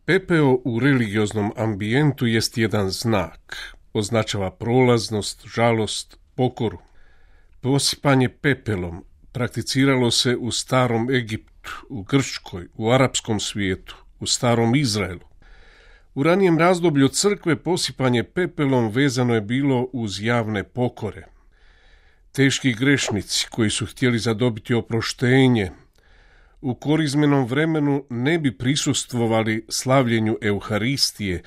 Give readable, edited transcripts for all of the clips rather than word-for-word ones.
Pepeo u religioznom ambijentu jest jedan znak. Označava prolaznost, žalost, pokoru. Posipanje pepelom prakticiralo se u starom Egiptu, u Grčkoj, u arapskom svijetu, u starom Izraelu. U ranijem razdoblju crkve posipanje pepelom vezano je bilo uz javne pokore. Teški grešnici koji su htjeli zadobiti oproštenje u korizmenom vremenu ne bi prisustvovali slavljenju Euharistije,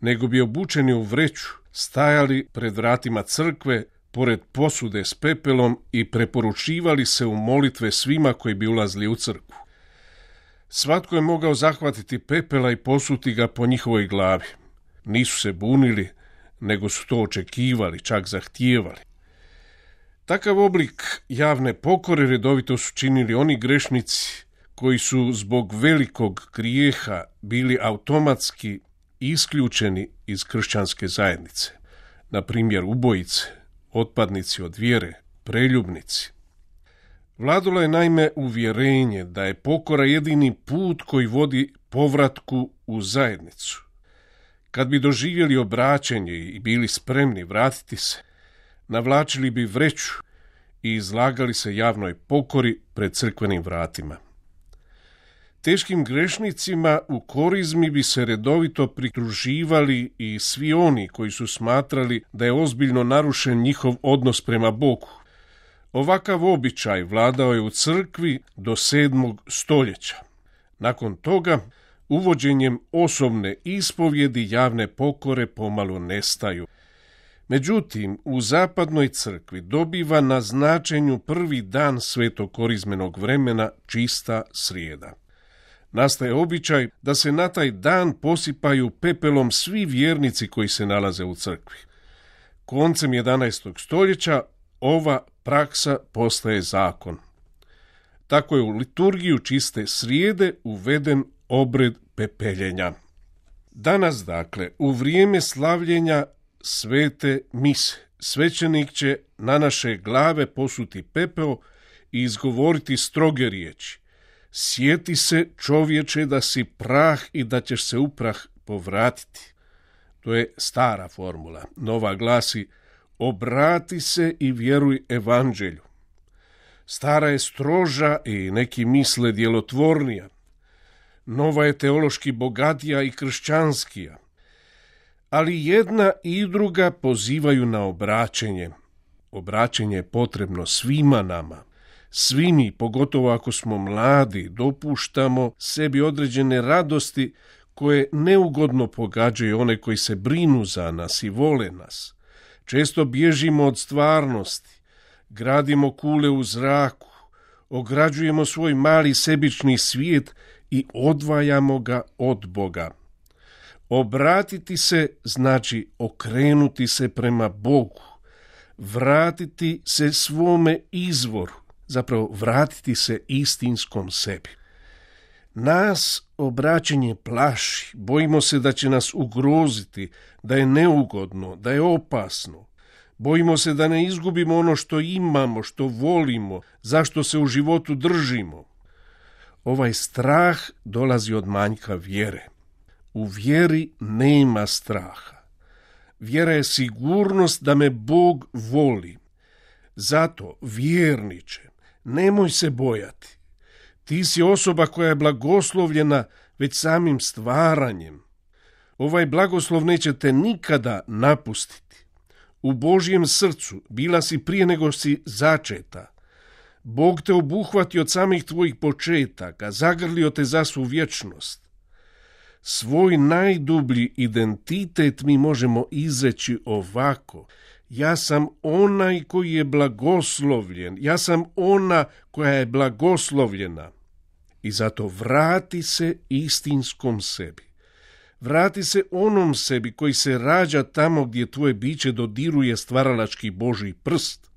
nego bi obučeni u vreću stajali pred vratima crkve, pored posude s pepelom i preporučivali se u molitve svima koji bi ulazili u crkvu. Svatko je mogao zahvatiti pepela i posuti ga po njihovoj glavi. Nisu se bunili, nego su to očekivali, čak zahtijevali. Takav oblik javne pokore redovito su činili oni grešnici koji su zbog velikog grijeha bili automatski isključeni iz kršćanske zajednice. Na primjer ubojice, otpadnici od vjere, preljubnici. Vladalo je naime uvjerenje da je pokora jedini put koji vodi povratku u zajednicu. Kad bi doživjeli obraćenje i bili spremni vratiti se, navlačili bi vreću i izlagali se javnoj pokori pred crkvenim vratima. Teškim grešnicima u korizmi bi se redovito pridruživali i svi oni koji su smatrali da je ozbiljno narušen njihov odnos prema Bogu. Ovakav običaj vladao je u crkvi do 7. stoljeća. Nakon toga, uvođenjem osobne ispovjedi javne pokore pomalo nestaju. Međutim, u zapadnoj crkvi dobiva na značenju prvi dan svetog korizmenog vremena, čista srijeda. Nastaje običaj da se na taj dan posipaju pepelom svi vjernici koji se nalaze u crkvi. Koncem 11. stoljeća ova praksa postaje zakon. Tako je u liturgiju čiste srijede uveden obred pepeljenja. Danas, dakle, u vrijeme slavljenja svete mise, svećenik će na naše glave posuti pepeo i izgovoriti stroge riječi. Sjeti se, čovječe, da si prah i da ćeš se u prah povratiti. To je stara formula. Nova glasi: obrati se i vjeruj evanđelju. Stara je stroža i neki misle djelotvornija. Nova je teološki bogatija i kršćanskija. Ali jedna i druga pozivaju na obraćenje. Obraćenje je potrebno svima nama. Svi mi, pogotovo ako smo mladi, dopuštamo sebi određene radosti koje neugodno pogađaju one koji se brinu za nas i vole nas. Često bježimo od stvarnosti, gradimo kule u zraku, ograđujemo svoj mali sebični svijet i odvajamo ga od Boga. Obratiti se znači okrenuti se prema Bogu, vratiti se svome izvoru, zapravo vratiti se istinskom sebi. Nas obraćenje plaši, bojimo se da će nas ugroziti, da je neugodno, da je opasno. Bojimo se da ne izgubimo ono što imamo, što volimo, zašto se u životu držimo. Ovaj strah dolazi od manjka vjere. U vjeri nema straha. Vjera je sigurnost da me Bog voli. Zato, vjerniče, nemoj se bojati. Ti si osoba koja je blagoslovljena već samim stvaranjem. Ovaj blagoslov neće te nikada napustiti. U Božjem srcu bila si prije nego si začeta. Bog te obuhvati od samih tvojih početaka, zagrlio te za svu vječnost. Svoj najdublji identitet mi možemo izreći ovako: ja sam onaj koji je blagoslovljen, ja sam ona koja je blagoslovljena. I zato vrati se istinskom sebi. Vrati se onom sebi koji se rađa tamo gdje tvoje biće dodiruje stvaralački Božji prst.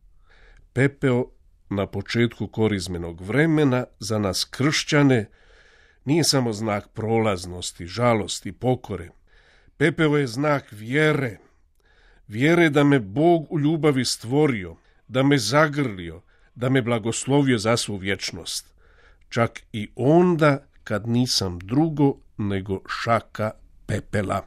Pepeo na početku korizmenog vremena za nas kršćane nije samo znak prolaznosti, žalosti, pokore. Pepeo je znak vjere. Vjere da me Bog u ljubavi stvorio, da me zagrlio, da me blagoslovio za svu vječnost. Čak i onda kad nisam drugo nego šaka pepela.